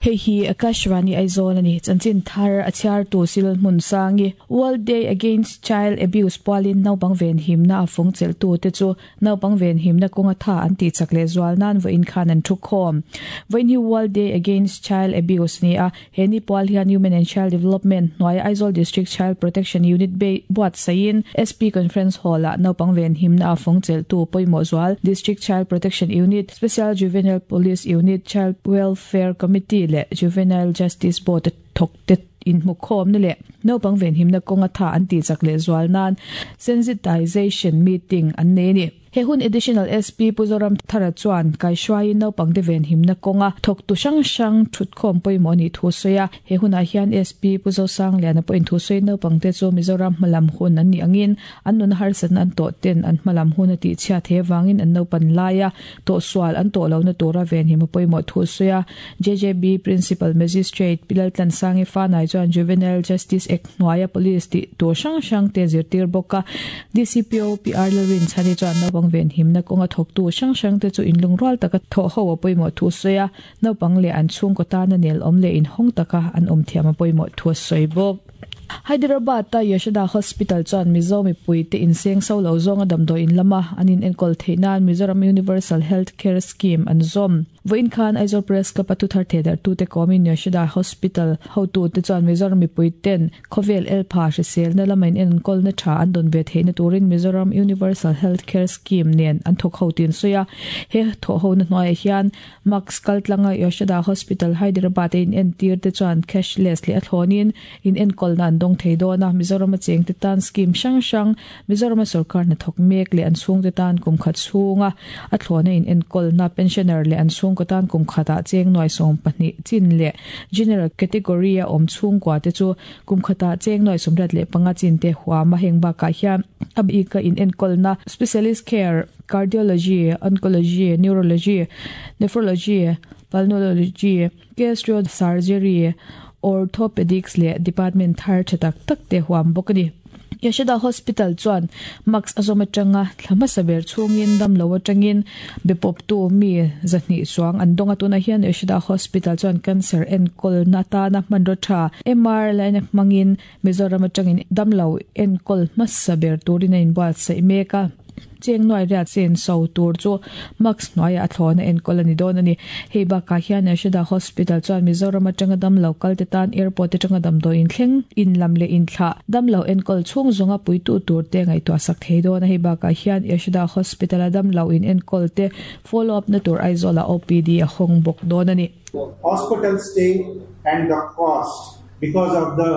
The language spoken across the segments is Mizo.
Hei hi Akashvani Aizawl a ni. Chanchin thar a chhiartu Sil Hmunsangi. World Day Against Child Abuse pualin naupang venhimna a fawng chelhtute chu naupang venhimna kawnga tha an tihchak leh zual nan vawiin khan an thukhawm. Vawiin hi World Day Against Child Abuse ni a, he ni pual hian Human and Child Development hnuaia Aizawl District Child Protection Unit buatsaihin SP Conference Hall-ah naupang venhimna a fawng chelhtu pawimawh zual District Child Protection Unit, Special Juvenile Police Unit, Child Welfare Committee leh Juvenile Justice Board a thawkte inhmukhawmna leh naupang venhimna kawnga tha an tihchak leh zual nan Sensitization Meeting an nei a ni. He hun Additional SP Pu Zoram Thara chuan kaihruaiin naupangte venhimna kawnga thawktu hrang hrang thutkhawm pawimawh a nih thu a sawi a. He hunah hian SP Pu Zosangliana pawhin thu sawiin naupangte chu Mizoram hmalam hun an nih angin an nuna harsatna an tawh ten an hmalam hun a tihchhiat he vangin an naupan laia tawhsual an tawh lohna tura venhim a pawimawh thu a sawi a. JJB Principal Magistrate Pi Laltlansangi Fanai chuan Juvenile Justice Act hnuaia Police tih tur hrang hrang te zirtir bawk a. DCPO PR Lalrinchhani chuan naupang venhimna kawnga thawktu hrang hrang te chu inlungrual taka thawh ho a pawimawh thu a sawi a, naupang leh an chhungkaw tana nelawm leh inhawng taka an awm thiam a pawimawh thu a sawi bawk. Hyderabad-a Yashoda Hospital chuan Mizo mipuite inseng so lo zawnga damdawi in lama an inenkawl theih nan Mizoram Universal Health Care Scheme an zawm. Vawiin khan Aizawl Press Club-a thuthar thehdarhtute kawmin Yashoda Hospital hotute chuan Mizoram mipuiten khawvel elpha hriselna lama inenkawlna tha an dawn ve theihna turin Mizoram Universal Health Care Scheme nen an thawk ho tih an sawi a. He thawhhona hnuaiah hian Max kaltlanga Yashoda Hospital Hyderabad a inentir te chuan cashless leh a thlawnin inenkawlna an dawng thei dawn a, Mizorama chengte tan scheme hrang hrang, Mizorama sorkar hnathawk mek leh an chhungte tan kum khat chhunga a thlawna inenkawlna, pensioner leh an chhungkaw tan kum khatah cheng nuai 12 chin leh general category a awm chhungkua te chu kum khatah cheng nuai 35 chin te huam a, heng bakah hian a bika inenkawlna, specialist care, Cardiology, Oncology, Neurology, Nephrology, Pulmonology, Gastro Surgery, Orthopedics leh department thar tha tak tak te huam bawk a ni. Yashoda Hospital chuan Max a zawm atanga thla hmasa ber chhungin damlo atangin be pawptu mi 200 chuang an dawng a, tunah hian Yashoda Hospital chuan cancer enkawlna atana hmanraw tha MR line hmangin Mizoram atangin damlo enkawl hmasa ber turin a inbuatsaih mek a. Cheng nuai riat chen so tur chu mask hnuaiah a thlawna enkawl a ni dawn a ni. Hei bakah hian Yashoda Hospital chuan Mizoram atanga damlo kalte tan airport atanga damdawi inthleng, inlam leh inthlah, damlo enkawl chhung zawnga puitu tur te ngaihtuah sak thei dawn a. Hei bakah hian Yashoda Hospital a damlo in enkawl te follow up na tur Aizawlah OPD a hawng bawk dawn a ni. Hospital stay and the cost because of the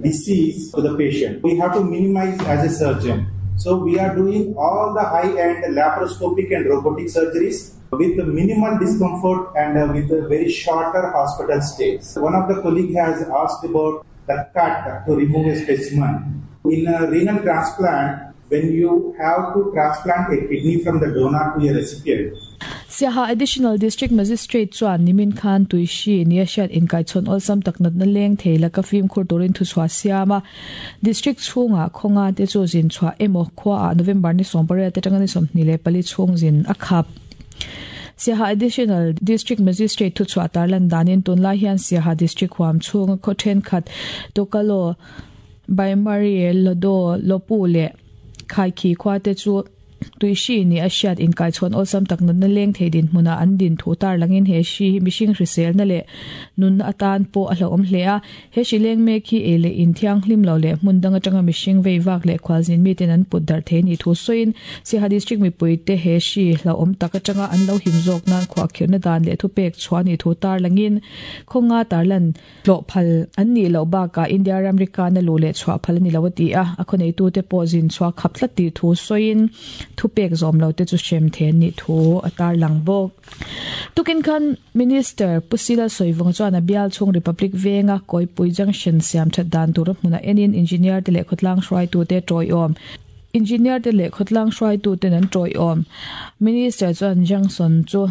disease to the patient. We have to minimize as a surgeon. So we are doing all the high-end laparoscopic and robotic surgeries with minimal discomfort and uh, with a very shorter hospital stays. One of the colleague has asked about the cut to remove a specimen. In a renal transplant, when you have to transplant a kidney from the donor to a recipient, Siaha Additional District Magistrate chuan nimin khan Tuishi nia hriat inkaichhawn awlsam tak natna leng thei laka fimkhur turin thuchhuah siam a. District chhungah khawnga te chu zin chhuah emaw khuaah November ni 18 atanga ni 24 chhung zin a khap. Siaha Additional District Magistrate thuchhuah tarlan danin tunlai hian Siaha District huam chhunga khaw thenkhat Tokalo, Baimari, Lodo, Lopu leh Khaikhi khua te chu Tui hri nih a hriat inkaichhawn awlsam tak natna leng thei dinhmunah an din thu tarlangin he hri hi mihring hriselna leh nunna atan pawh a hlauhawm hle a. He hri leng mek hi ei leh in thianghlim lo leh hmun dang atanga mihring vei vak leh khualzin miten an put darh thei nih thu sawiin Siaha District mipuite he hri hlauhawm tak atanga an lo him zawk nan khuahkhirhna dan leh thupek chhuah nih thu tarlangin khawnga tarlan Tlawh phal an nih loh bakah India ramri kana luh leh chhuah phal a ni lo a ti a, a khawneihtute pawh zin chhuah khap tlat tih thu sawiin thupek zawm lo te chu hrem the an nih thu a tarlang bawk. Tukin khan Minister Pu Sila Sawivunga chuan a bial chhung Republic Venga Kawipui Junction siam that dan tura hmunah enin Engineer te leh khawtlang hruaitute tawiawm Engineer te leh khawtlang hruaituten an tawiawm. Minister chuan Junction chu.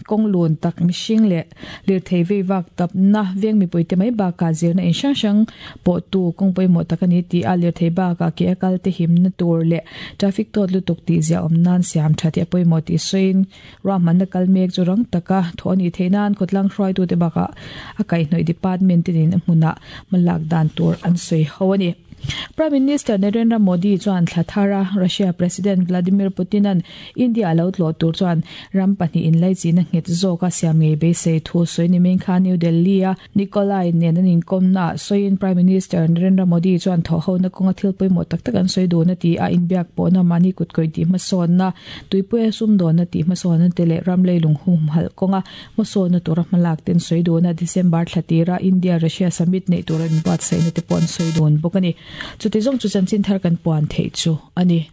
Kawng lun tak mihring leh lirthei vei vak tapna veng mipuite mai bakah zirna in hrang hrang pawh tu kawng pawimawh tak a ni tih a lirthei bakah ke a kal te himna tur leh traffic tawt lutuk tih ziah awm nan siam tha tih a pawimawh tih sawiin ruahmanna kal mek chu rang taka thawh a nih theih nan khawtlang hruaitute bakah a kaihhnawih department te nen a hmunah hmalak dan tur an sawi ho a ni. Prime Minister Narendra Modi chuan thla thara Russia President Vladimir Putin-a'n India a lo tlawh tur chuan ram pahnihin laichina nghet zawka siam ngei beisei thu sawi ni meng kha New Delhi-a Nikolai nen an inkawmnaah sawiin Prime Minister Narendra Modi chuan thawhhona kawnga thil pawimawh tak tak an sawi dun a ti a, inbiak pawhna mahni kutkawih tih hmasawnna, tuipuia sumdawnna tih hmasawnna te leh ram leilung humhalh kawnga Hmasawnna tura hmalak ten sawi dun a, December thla tira India-Russia Summit neih tura inbuatsaihna te pawh an sawi dun bawk a ni. Chuti zawng chu chanchin thar kan puan theih chu a ni.